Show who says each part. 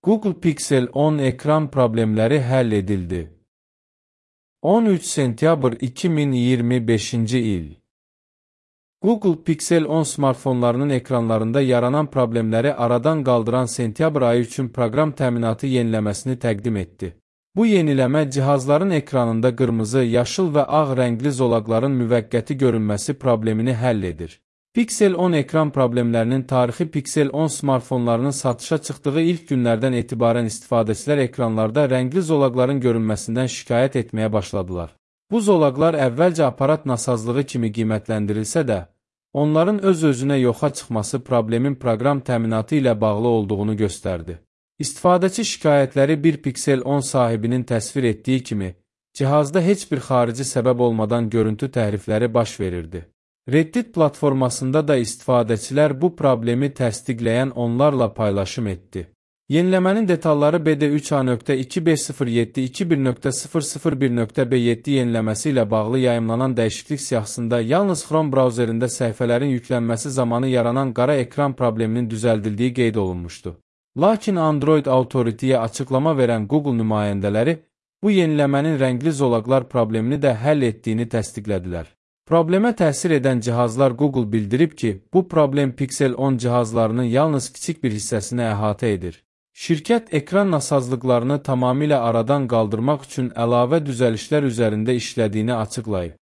Speaker 1: Google Pixel 10 ekran problemləri həll edildi. 13 sentyabr 2025-ci il. Google Pixel 10 smartfonlarının ekranlarında yaranan problemləri aradan qaldıran sentyabr ayı üçün proqram təminatı yeniləməsini təqdim etdi. Bu yeniləmə cihazların ekranında qırmızı, yaşıl və ağ rəngli zolaqların müvəqqəti görünməsi problemini həll edir. Pixel 10 ekran problemlərinin tarixi Pixel 10 smartfonlarının satışa çıxdığı ilk günlərdən etibarən istifadəçilər ekranlarda rəngli zolaqların görünməsindən şikayət etməyə başladılar. Bu zolaqlar əvvəlcə aparat nasazlığı kimi qiymətləndirilsə də, onların öz-özünə yoxa çıxması problemin proqram təminatı ilə bağlı olduğunu göstərdi. İstifadəçi şikayətləri bir Pixel 10 sahibinin təsvir etdiyi kimi, cihazda heç bir xarici səbəb olmadan görüntü təhrifləri baş verirdi. Reddit platformasında da istifadəçilər bu problemi təsdiqləyən onlarla paylaşım etdi. Yeniləmənin detalları BD3A.2B07.21.001.B7 yeniləməsi ilə bağlı yayımlanan dəyişiklik siyahısında yalnız Chrome brauzerində səhifələrin yüklənməsi zamanı yaranan qara ekran probleminin düzəldildiyi qeyd olunmuşdu. Lakin Android Authority-yə açıqlama verən Google nümayəndələri bu yeniləmənin rəngli zolaqlar problemini də həll etdiyini təsdiqlədilər. Problemə təsir edən cihazlar Google bildirib ki, bu problem Pixel 10 cihazlarının yalnız kiçik bir hissəsini əhatə edir. Şirkət ekran nasazlıqlarını tamamilə aradan qaldırmaq üçün əlavə düzəlişlər üzərində işlədiyini açıqlayıb.